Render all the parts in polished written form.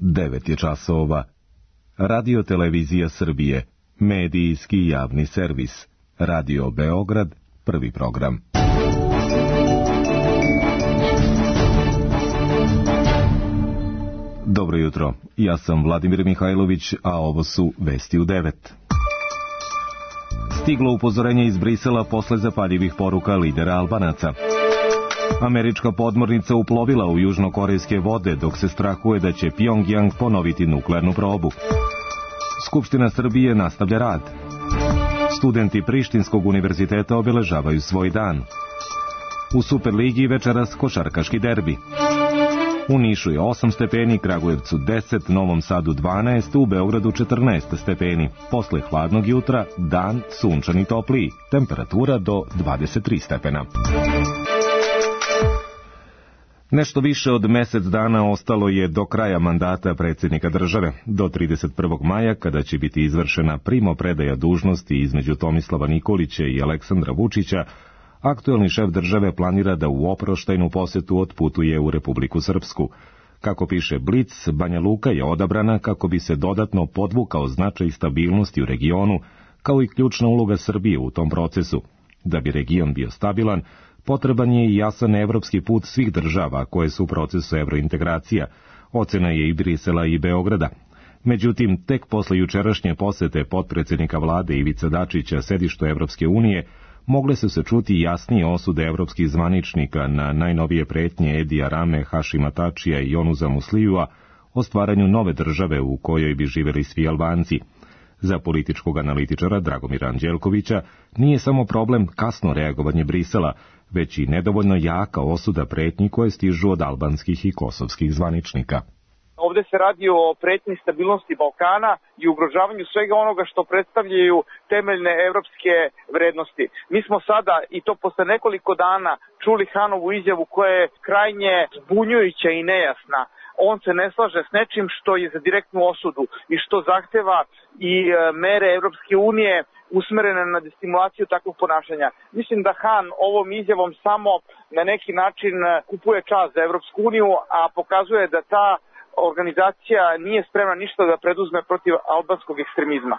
9 je časova. Radio Televizija Srbije, medijski javni servis. Radio Beograd, prvi program. Dobro jutro, ja sam Vladimir Mihajlović, a ovo su Vesti u 9. Stiglo upozorenje iz Brisela posle zapaljivih poruka lidera Albanaca. Američka podmornica uplovila u južnokorejske vode, dok se strahuje da će Pjongjang ponoviti nuklearnu probu. Skupština Srbije nastavlja rad. Studenti Prištinskog univerziteta obeležavaju svoj dan. U Superligi večeras košarkaški derbi. U Nišu je 8 stepeni, Kragujevcu 10, Novom Sadu 12, u Beogradu 14 stepeni. Posle hladnog jutra, dan sunčan i topliji, temperatura do 23 stepena. Nešto više od mesec dana ostalo je do kraja mandata predsjednika države, do 31. maja, kada će biti izvršena primopredaja dužnosti između Tomislava Nikolića i Aleksandra Vučića. Aktuelni šef države planira da u oproštajnu posetu otputuje u Republiku Srpsku. Kako piše Blic, Banja Luka je odabrana kako bi se dodatno podvukao značaj stabilnosti u regionu, kao i ključna uloga Srbije u tom procesu. Da bi region bio stabilan, potreban je i jasan evropski put svih država koje su u procesu evrointegracija. Ocena je i Brisela i Beograda. Međutim, tek posle jučerašnje posete potpredsjednika vlade Ivice Dačića sedištu Evropske unije, mogle su se čuti jasnije osude evropskih zvaničnika na najnovije pretnje Edija Rame, Hašima Tačija i Jonuza Muslijua o stvaranju nove države u kojoj bi živjeli svi Albanci. Za političkog analitičara Dragomira Anđelkovića nije samo problem kasno reagovanje Brisela, već i nedovoljno jaka osuda pretnji koje stižu od albanskih i kosovskih zvaničnika. Ovde se radi o pretnji stabilnosti Balkana i ugrožavanju svega onoga što predstavljaju temeljne evropske vrednosti. Mi smo sada, i to posle nekoliko dana, čuli Hanovu izjavu koja je krajnje zbunjujuća i nejasna. On se ne slaže s nečim što je za direktnu osudu i što zahteva i mere Evropske unije usmerene na destimulaciju takvog ponašanja. Mislim da Han ovom izjavom samo na neki način kupuje čas za Evropsku uniju, a pokazuje da ta organizacija nije spremna ništa da preduzme protiv albanskog ekstremizma.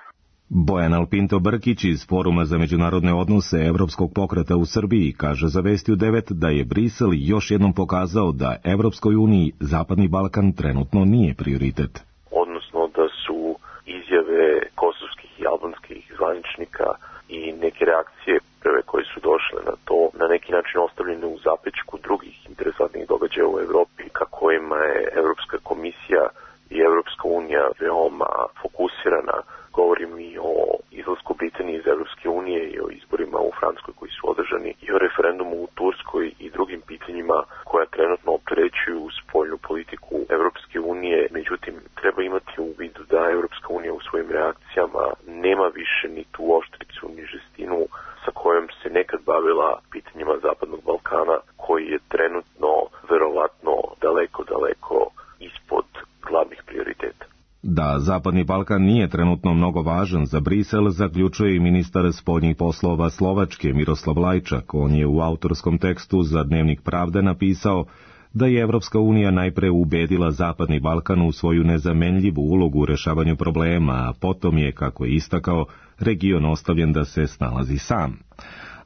Bojan Alpinto Brkić iz Foruma za međunarodne odnose Evropskog pokreta u Srbiji kaže za Vesti u 9 da je Brisel još jednom pokazao da Evropskoj uniji Zapadni Balkan trenutno nije prioritet. Odnosno da su izjave kosovskih i albanskih zvaničnika i neke reakcije prve koje su došle na to na neki način ostavljene u zapećku drugih interesantnih događaja u Evropi, ka kojima je Evropska komisija i Evropska unija veoma fokusirana. Govorim i o izlasku Britanije iz Evropske unije i o izborima u Francuskoj koji su održani i o referendumu u Turskoj i drugim pitanjima koja trenutno opterećuju spoljnu politiku Evropske unije. Međutim, treba imati u vidu da Evropska unija u svojim reakcijama nema više ni tu oštricu ni žestinu sa kojom se nekad bavila pitanjima Zapadnog Balkana, koji je trenutno verovatno daleko ispod glavnih prioriteta. Da Zapadni Balkan nije trenutno mnogo važan za Brisel, zaključuje i ministar spoljnih poslova Slovačke Miroslav Lajčak. On je u autorskom tekstu za Dnevnik Pravde napisao da je Evropska unija najpre ubedila Zapadni Balkan u svoju nezamenljivu ulogu u rešavanju problema, a potom je, kako je istakao, region ostavljen da se snalazi sam.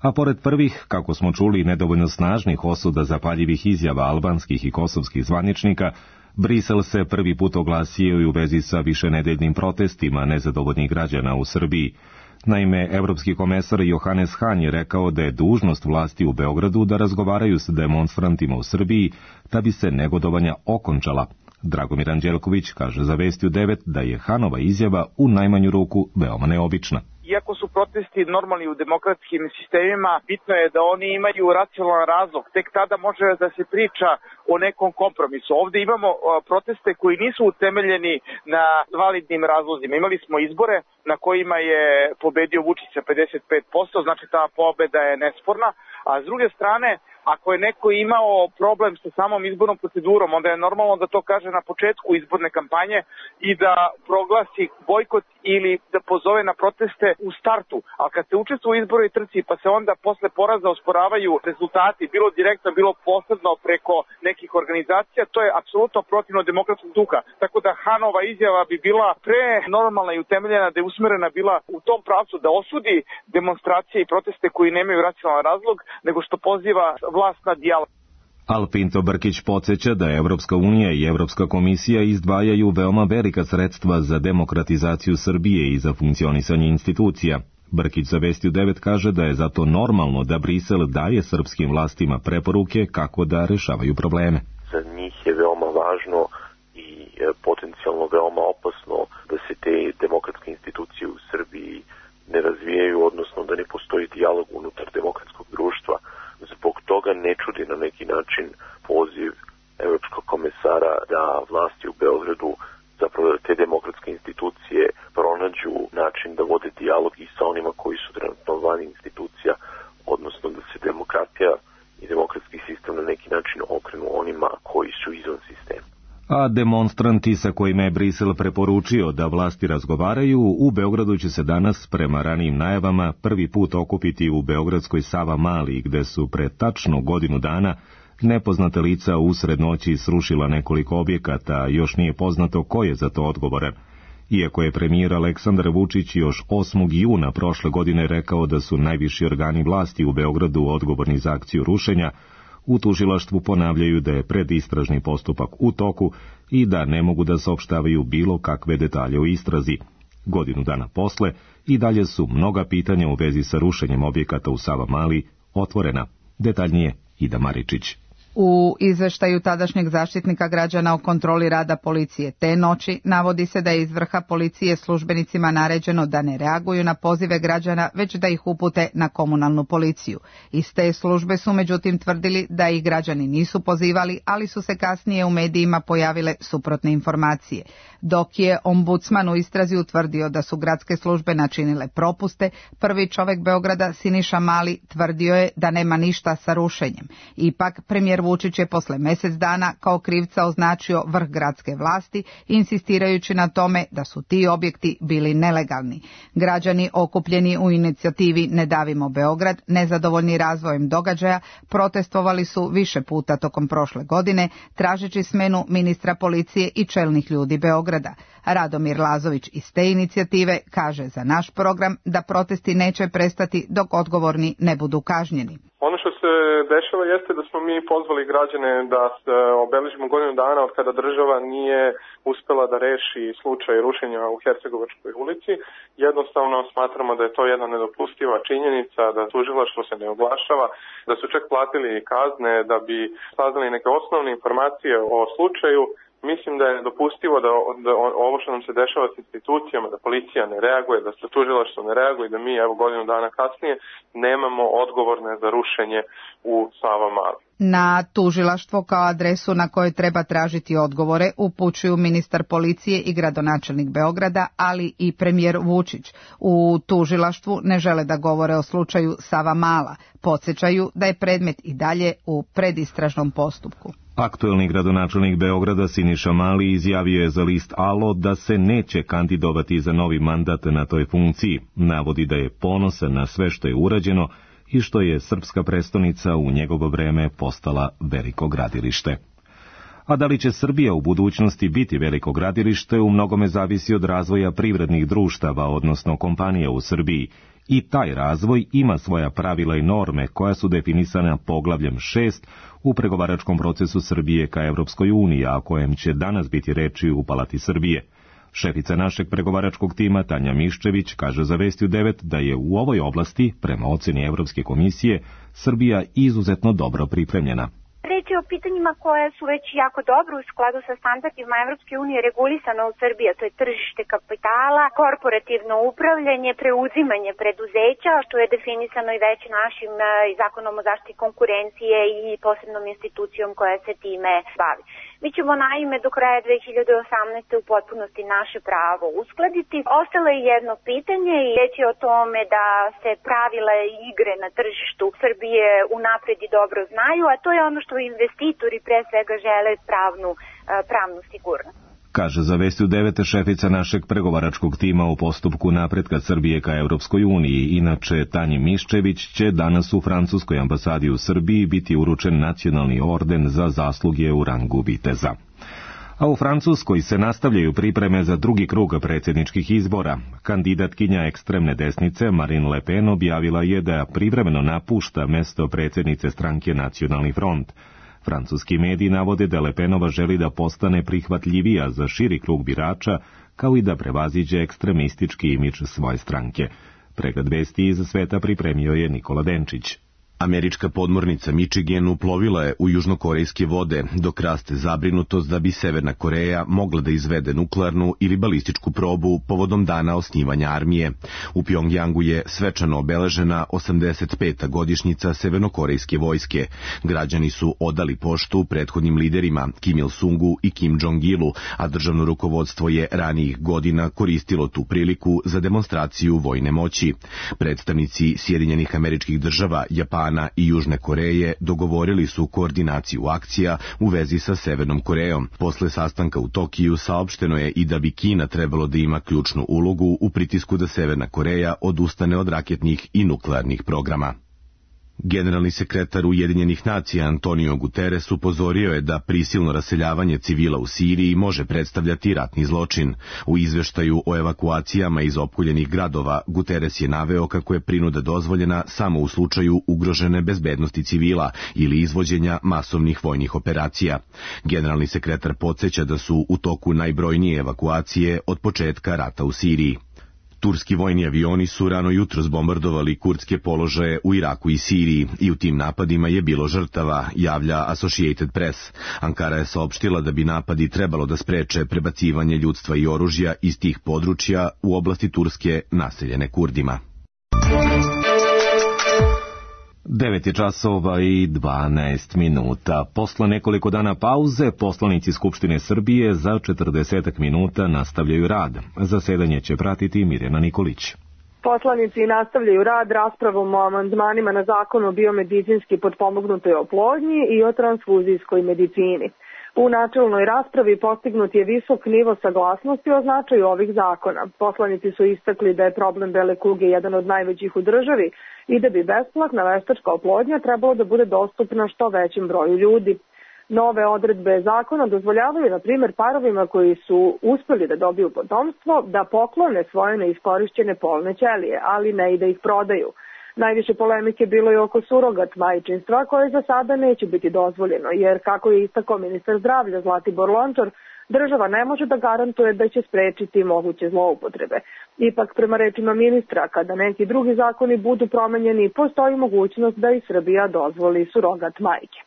A pored prvih, kako smo čuli, nedovoljno snažnih osuda zapaljivih izjava albanskih i kosovskih zvaničnika, Brisel se prvi put oglasio i u vezi sa višenedeljnim protestima nezadovoljnih građana u Srbiji. Naime, evropski komesar Johannes Hahn je rekao da je dužnost vlasti u Beogradu da razgovaraju s demonstrantima u Srbiji da bi se negodovanja okončala. Dragomir Anđelković kaže za Vesti u 9 da je Hanova izjava u najmanju ruku veoma neobična. Iako su protesti normalni u demokratskim sistemima, bitno je da oni imaju racionalan razlog. Tek tada može da se priča o nekom kompromisu. Ovde imamo proteste koji nisu utemeljeni na validnim razlozima. Imali smo izbore na kojima je pobedio Vučić sa 55%, znači ta pobeda je nesporna, a s druge strane Ako je neko imao problem sa samom izbornom procedurom, onda je normalno da to kaže na početku izborne kampanje i da proglasi bojkot ili da pozove na proteste u startu. A kad se učestvuje u izbornoj trci pa se onda posle poraza osporavaju rezultati, bilo direktno, bilo posredno preko nekih organizacija, to je apsolutno protivno demokratskog duha. Tako da Hanova izjava bi bila pre normalna i utemeljena, da je usmerena bila u tom pravcu da osudi demonstracije i proteste koji nemaju racionalan razlog, nego što poziva vlast na dijalog. Al Pinto Brkić podsjeća da Evropska unija i Evropska komisija izdvajaju veoma velika sredstva za demokratizaciju Srbije i za funkcionisanje institucija. Brkić za Vesti u 9 kaže da je zato normalno da Brisel daje srpskim vlastima preporuke kako da rešavaju probleme. Za njih je veoma važno i potencijalno veoma opasno da se te demokratske institucije u Srbiji ne razvijaju, odnosno da ne postoji dijalog unutar demokratskog društva. Zbog toga ne čudi na neki način poziv evropskog komesara da vlasti u Beogradu, zapravo da te demokratske institucije pronađu način da vode dijalog i sa onima koji su trenutno van institucija, odnosno da se demokratija i demokratski sistem na neki način okrenu onima koji su izvan sistema. A demonstranti sa kojima je Brisel preporučio da vlasti razgovaraju, u Beogradu će se danas, prema ranijim najavama, prvi put okupiti u beogradskoj Savamali, gde su pre tačno godinu dana nepoznata lica usred noći srušila nekoliko objekata, a još nije poznato ko je za to odgovoran. Iako je premijer Aleksandar Vučić još 8. juna prošle godine rekao da su najviši organi vlasti u Beogradu odgovorni za akciju rušenja, u tužilaštvu ponavljaju da je predistražni postupak u toku i da ne mogu da saopštavaju bilo kakve detalje o istrazi. Godinu dana posle i dalje su mnoga pitanja u vezi sa rušenjem objekata u Savamali otvorena. Detaljnije Ida Maričić. U izveštaju tadašnjeg zaštitnika građana o kontroli rada policije te noći navodi se da je iz vrha policije službenicima naređeno da ne reaguju na pozive građana, već da ih upute na komunalnu policiju. Iz te službe su međutim tvrdili da ih građani nisu pozivali, ali su se kasnije u medijima pojavile suprotne informacije. Dok je ombudsman u istrazi utvrdio da su gradske službe načinile propuste, prvi čovek Beograda Siniša Mali tvrdio je da nema ništa sa rušenjem. Ipak premijer Vučić je posle mjesec dana kao krivca označio vrh gradske vlasti, insistirajući na tome da su ti objekti bili nelegalni. Građani okupljeni u inicijativi Ne davimo Beograd, nezadovoljni razvojem događaja, protestovali su više puta tokom prošle godine, tražeći smenu ministra policije i čelnih ljudi Beograda. Radomir Lazović iz te inicijative kaže za naš program da protesti neće prestati dok odgovorni ne budu kažnjeni. Ono što se dešava jeste da smo mi pozvali građane da se obeležimo godinu dana od kada država nije uspela da reši slučaj rušenja u Hercegovačkoj ulici. Jednostavno smatramo da je to jedna nedopustiva činjenica, da tužilaštvo se ne oglašava, da su čak platili kazne da bi saznali neke osnovne informacije o slučaju. Mislim da je dopustivo da ovo što nam se dešava s institucijama, da policija ne reaguje, da se tužilaštvo ne reaguje, da mi evo godinu dana kasnije nemamo odgovorne za rušenje u Savamali. Na tužilaštvo kao adresu na kojoj treba tražiti odgovore upućuju ministar policije i gradonačelnik Beograda, ali i premijer Vučić. U tužilaštvu ne žele da govore o slučaju Savamala. Podsjećaju da je predmet i dalje u predistražnom postupku. Aktuelni gradonačelnik Beograda Siniša Mali izjavio je za list Alo da se neće kandidovati za novi mandat na toj funkciji. Navodi da je ponosan na sve što je urađeno i što je srpska prestonica u njegovo vreme postala veliko gradilište. A da li će Srbija u budućnosti biti veliko gradilište u mnogome zavisi od razvoja privrednih društava, odnosno kompanija u Srbiji. I taj razvoj ima svoja pravila i norme koja su definisana poglavljem 6 u pregovaračkom procesu Srbije ka Evropskoj uniji, a o kojem će danas biti reči u Palati Srbije. Šefica našeg pregovaračkog tima Tanja Miščević kaže za Vesti u 9 da je u ovoj oblasti, prema oceni Evropske komisije, Srbija izuzetno dobro pripremljena. Reč je o pitanjima koje su već jako dobro u skladu sa standardima Evropske unije regulisano u Srbiji, to je tržište kapitala, korporativno upravljanje, preuzimanje preduzeća, što je definisano i već našim zakonom o zaštiti konkurencije i posebnom institucijom koja se time bavi. Mi ćemo naime do kraja 2018. u potpunosti naše pravo uskladiti. Ostalo je jedno pitanje i reći o tome da se pravila igre na tržištu Srbije unapred i dobro znaju, a to je ono što investitori pre svega žele pravnu sigurnost. Kaže za Vesti u 9 šefica našeg pregovaračkog tima u postupku napretka Srbije ka Evropskoj uniji. Inače, Tanji Miščević će danas u francuskoj ambasadi u Srbiji biti uručen nacionalni orden za zasluge u rangu viteza. A u Francuskoj se nastavljaju pripreme za drugi krug predsjedničkih izbora. Kandidatkinja ekstremne desnice Marine Le Pen objavila je da privremeno napušta mesto predsjednice stranke Nacionalni front. Francuski mediji navode da Le Penova želi da postane prihvatljivija za širi krug birača, kao i da prevaziđe ekstremistički imidž svoje stranke. Pregled vesti iz sveta pripremio je Nikola Denčić. Američka podmornica Michigan uplovila je u južnokorejske vode, dok raste zabrinutost da bi Severna Koreja mogla da izvede nuklearnu ili balističku probu povodom dana osnivanja armije. U Pjongjangu je svečano obeležena 85. godišnjica severnokorejske vojske. Građani su odali poštu prethodnim liderima Kim Il-sungu i Kim Jong-ilu, a državno rukovodstvo je ranijih godina koristilo tu priliku za demonstraciju vojne moći. Predstavnici Sjedinjenih Američkih Država, Japana i Južne Koreje dogovorili su koordinaciju akcija u vezi sa Severnom Korejom. Posle sastanka u Tokiju saopšteno je i da bi Kina trebalo da ima ključnu ulogu u pritisku da Severna Koreja odustane od raketnih i nuklearnih programa. Generalni sekretar Ujedinjenih nacija Antonio Guterres upozorio je da prisilno raseljavanje civila u Siriji može predstavljati ratni zločin. U izveštaju o evakuacijama iz opkoljenih gradova Guterres je naveo kako je prinuda dozvoljena samo u slučaju ugrožene bezbednosti civila ili izvođenja masovnih vojnih operacija. Generalni sekretar podsjeća da su u toku najbrojnije evakuacije od početka rata u Siriji. Turski vojni avioni su rano jutros bombardovali kurdske položaje u Iraku i Siriji i u tim napadima je bilo žrtava, javlja Associated Press. Ankara je saopštila da bi napadi trebalo da spreče prebacivanje ljudstva i oružja iz tih područja u oblasti Turske naseljene Kurdima. 9 je časova i 12 minuta. Posle nekoliko dana pauze, poslanici Skupštine Srbije za 40 minuta nastavljaju rad. Zasedanje će pratiti Mirjana Nikolić. Poslanici nastavljaju rad raspravom o amandmanima na zakon o biomedicinski potpomognutoj oplodnji i o transfuzijskoj medicini. U načelnoj raspravi postignut je visok nivo saglasnosti o značaju ovih zakona. Poslanici su istakli da je problem bele kuge jedan od najvećih u državi i da bi besplatna veštačka oplodnja trebalo da bude dostupna što većem broju ljudi. Nove odredbe zakona dozvoljavaju, na primjer, parovima koji su uspeli da dobiju potomstvo da poklone svoje neiskorišćene polne ćelije, ali ne i da ih prodaju. Najviše polemike bilo je oko surogat majčinstva, koje za sada neće biti dozvoljeno, jer, kako je istakao ministar zdravlja Zlatibor Lončar, država ne može da garantuje da će sprečiti moguće zloupotrebe. Ipak, prema rečima ministra, kada neki drugi zakoni budu promenjeni, postoji mogućnost da i Srbija dozvoli surogat majke.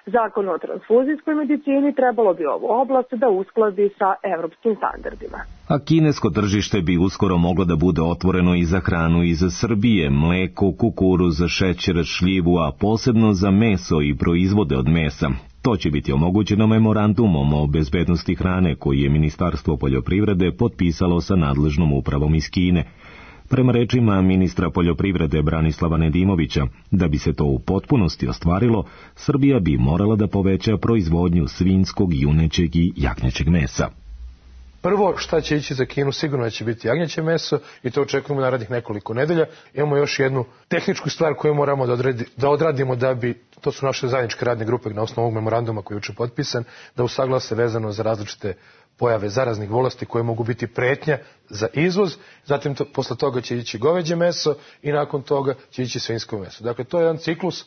Zakon o transfuzijskoj medicini trebalo bi ovu oblast da uskladi sa evropskim standardima. A kinesko tržište bi uskoro moglo da bude otvoreno i za hranu iz Srbije, mleko, kukuruz, šećer, šljivu, a posebno za meso i proizvode od mesa. To će biti omogućeno memorandumom o bezbednosti hrane koji je Ministarstvo poljoprivrede potpisalo sa nadležnom upravom iz Kine. Prema rečima ministra poljoprivrede Branislava Nedimovića, da bi se to u potpunosti ostvarilo, Srbija bi morala da poveća proizvodnju svinjskog, junećeg i jagnjećeg mesa. Prvo šta će ići za Kinu sigurno će biti jagnjeće meso i to očekujemo narednih nekoliko nedelja. Imamo još jednu tehničku stvar koju moramo da odradimo da bi, to su naše zajedničke radne grupe na osnovu ovog memoranduma koji je juče potpisan, da usaglase vezano za različite pojave zaraznih bolesti koje mogu biti pretnja za izvoz, zatim posle toga će ići goveđe meso i nakon toga će ići svinjsko meso. Dakle, to je jedan ciklus,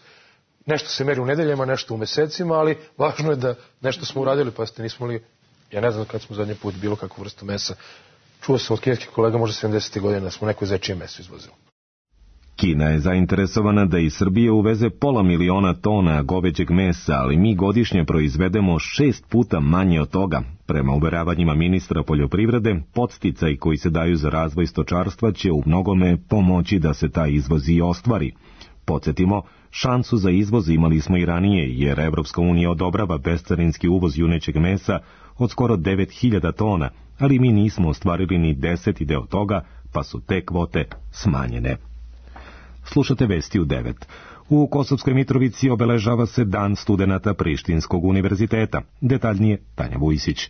nešto se meri u nedeljama, nešto u mesecima, ali važno je da nešto smo uradili, pa ste nismo li, ja ne znam kad smo zadnji put bilo kakvu vrstu mesa, čuo sam od kineskih kolega možda 70. godina da smo neko zečije meso izvozili. Kina je zainteresovana da iz Srbije uveze 500.000 tona goveđeg mesa, ali mi godišnje proizvedemo 6 puta manje od toga. Prema uveravanjima ministra poljoprivrede, podsticaji koji se daju za razvoj stočarstva će u mnogome pomoći da se taj izvoz i ostvari. Podsjetimo, Šansu za izvoz imali smo i ranije, jer Evropska unija odobrava bescarinski uvoz junećeg mesa od skoro 9000 tona, ali mi nismo ostvarili ni 10. deo toga, pa su te kvote smanjene. Slušate vesti u 9. U Kosovskoj Mitrovici obeležava se Dan studenata Prištinskog univerziteta. Detaljnije Tanja Vujsić.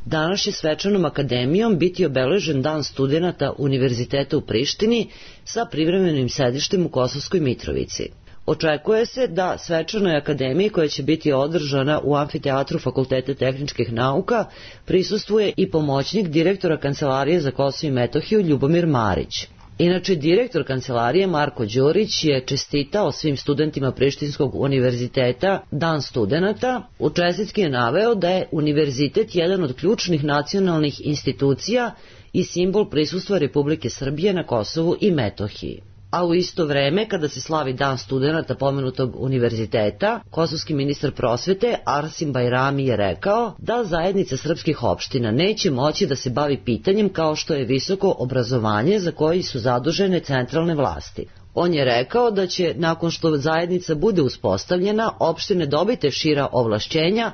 Danas će svečanom akademijom biti obeležen Dan studenata Univerziteta u Prištini sa privremenim sedištem u Kosovskoj Mitrovici. Očekuje se da svečanoj akademiji, koja će biti održana u amfiteatru Fakulteta tehničkih nauka, prisustvuje i pomoćnik direktora Kancelarije za Kosovo i Metohiju Ljubomir Marić. Inače, direktor kancelarije Marko Đurić je čestitao svim studentima Prištinskog univerziteta Dan studenata. U čestitki je naveo da je univerzitet jedan od ključnih nacionalnih institucija i simbol prisustva Republike Srbije na Kosovu i Metohiji. A u isto vreme, kada se slavi Dan studenata pomenutog univerziteta, kosovski ministar prosvete Arsim Bajrami je rekao da zajednica srpskih opština neće moći da se bavi pitanjem kao što je visoko obrazovanje za koji su zadužene centralne vlasti. On je rekao da će, nakon što zajednica bude uspostavljena, opštine dobiti šira ovlašćenja,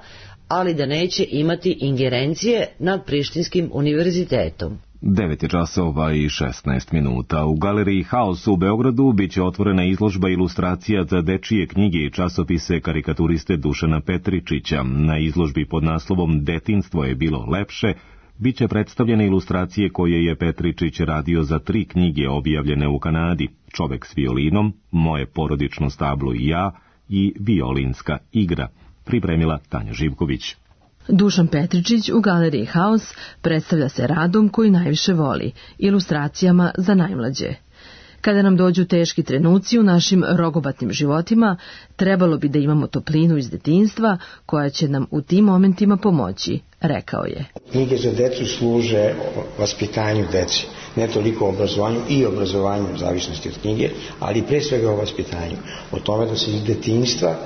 ali da neće imati ingerencije nad Prištinskim univerzitetom. 9:16. U galeriji Haos u Beogradu biće otvorena izložba ilustracija za dečije knjige i časopise karikaturiste Dušana Petričića. Na izložbi pod naslovom Detinjstvo je bilo lepše biće predstavljene ilustracije koje je Petričić radio za 3 knjige objavljene u Kanadi: Čovek s violinom, Moje porodično stablo i ja i Violinska igra. Pripremila Tanja Živković. Dušan Petričić u galeriji Haos predstavlja se radom koji najviše voli, ilustracijama za najmlađe. Kada nam dođu teški trenuci u našim rogobatnim životima, trebalo bi da imamo toplinu iz detinjstva koja će nam u tim momentima pomoći, rekao je. Knjige za decu služe vaspitanju deci, ne toliko obrazovanju i obrazovanju u zavisnosti od knjige, ali pre svega o vaspitanju, o tome da se iz detinjstva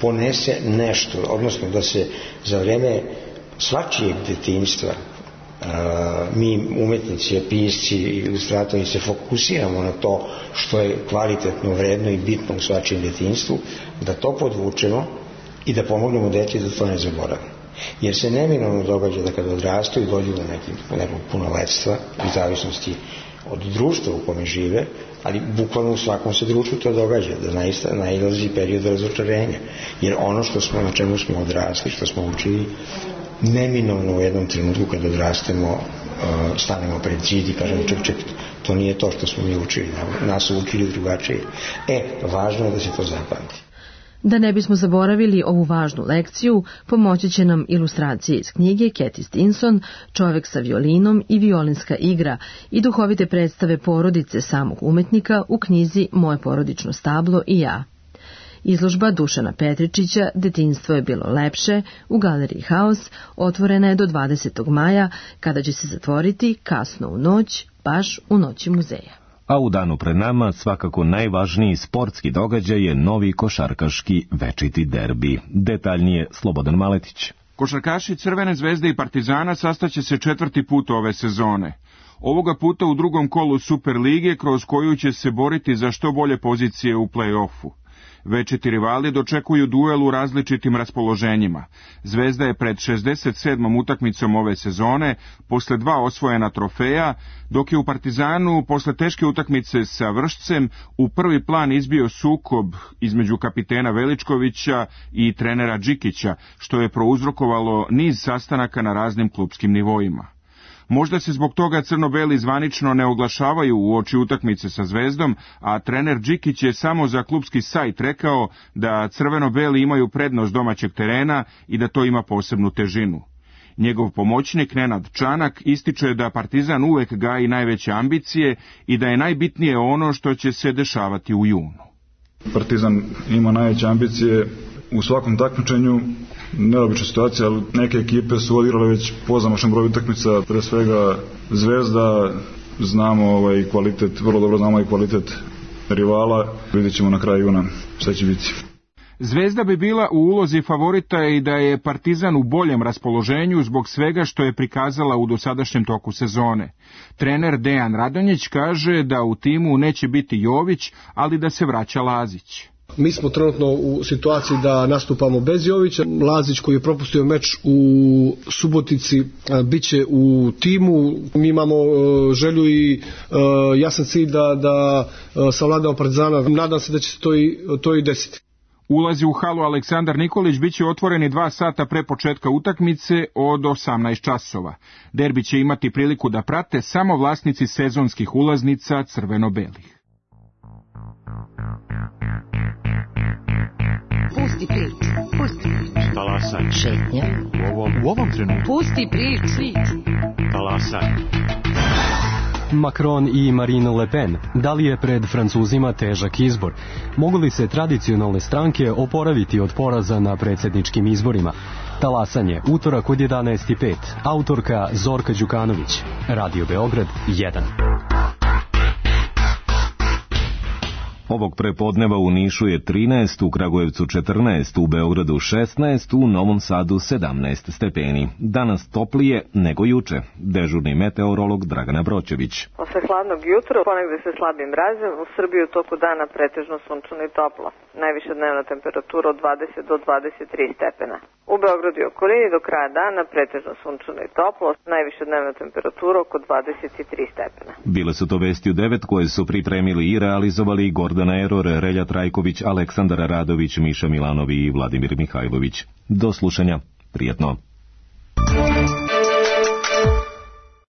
ponese nešto, odnosno da se za vreme svačijeg detinjstva mi umetnici, pisci, ilustratori se fokusiramo na to što je kvalitetno, vredno i bitno u svačijem detinjstvu, da to podvučemo i da pomognemo deci da to ne zaboravimo. Jer se neminovno događa da kada odrastu i dođu do nekog punoletstva, u zavisnosti od društva u kome žive, ali bukvalno u svakom se društvu to događa, da nailazi period razočarenja. Jer ono na čemu smo odrasli, što smo učili, neminovno u jednom trenutku kada odrastemo, stanemo pred zid i kažemo ček, to nije to što smo mi učili, nas su učili drugačije. Važno je da se to zapamti. Da ne bismo zaboravili ovu važnu lekciju, pomoći će nam ilustracije iz knjige Cathy Stinson, Čovek sa violinom i Violinska igra i duhovite predstave porodice samog umetnika u knjizi Moje porodično stablo i ja. Izložba Dušana Petričića Detinjstvo je bilo lepše u galeriji Haos otvorena je do 20. maja, kada će se zatvoriti kasno u noć, baš u noći muzeja. A u danu pred nama svakako najvažniji sportski događaj je novi košarkaški večiti derbi. Detaljnije Slobodan Maletić. Košarkaši Crvene zvezde i Partizana sastaće se 4. put ove sezone. Ovoga puta u drugom kolu Super lige, kroz koju će se boriti za što bolje pozicije u play-offu. Večiti rivali dočekuju duel u različitim raspoloženjima. Zvezda je pred 67. utakmicom ove sezone, posle 2 osvojena trofeja, dok je u Partizanu, posle teške utakmice sa Vršcem, u prvi plan izbio sukob između kapitena Veličkovića i trenera Džikića, što je prouzrokovalo niz sastanaka na raznim klupskim nivoima. Možda se zbog toga crno-beli zvanično ne oglašavaju uoči utakmice sa Zvezdom, a trener Džikić je samo za klupski sajt rekao da crveno-beli imaju prednost domaćeg terena i da to ima posebnu težinu. Njegov pomoćnik Nenad Čanak ističe da Partizan uvek gaji najveće ambicije i da je najbitnije ono što će se dešavati u junu. Partizan ima najveće ambicije u svakom takmičenju. Neobična situacija, ali neke ekipe su odigrale već po zamašnom broju utakmica, pre svega Zvezda, znamo kvalitet, vrlo dobro znamo i kvalitet rivala, vidjet ćemo na kraju juna šta će biti. Zvezda bi bila u ulozi favorita i da je Partizan u boljem raspoloženju zbog svega što je prikazala u dosadašnjem toku sezone. Trener Dejan Radonjić kaže da u timu neće biti Jović, ali da se vraća Lazić. Mi smo trenutno u situaciji da nastupamo bez Jovića. Lazić koji je propustio meč u Subotici bit će u timu. Mi imamo želju i jasan cilj da savladamo Partizana. Nadam se da će se to i desiti. Ulazi u halu Aleksandar Nikolić biće otvoreni 2 sata pre početka utakmice od 18 časova. Derbi će imati priliku da prate samo vlasnici sezonskih ulaznica crveno-belih. Pusti priču, pusti priču. Talasaj. Šetnja. U ovom trenutku. Pusti priču. Talasaj. Macron i Marine Le Pen, da li je pred Francuzima težak izbor? Mogu li se tradicionalne stranke oporaviti od poraza na predsjedničkim izborima? Talasanje, utorak od 11:05. Autorka Zorka Đukanović. Radio Beograd 1. Ovog prepodneva u Nišu je 13, u Kragujevcu 14, u Beogradu 16, u Novom Sadu 17 stepeni. Danas toplije nego juče. Dežurni meteorolog Dragana Broćević. Posle hladnog jutra, ponegde se slabim mrazom, u Srbiji u toku dana pretežno sunčano i toplo. Najviša dnevna temperatura od 20 do 23 stepena. U Beogradu i okolini do kraja dana pretežno sunčano i toplo, najviša dnevna temperatura oko 23 stepena. Bile su to vesti u 9 koje su pripremili i realizovali Gordana Eror, Relja Trajković, Aleksandar Radović, Miša Milanovi i Vladimir Mihajlović. Do slušanja. Prijetno.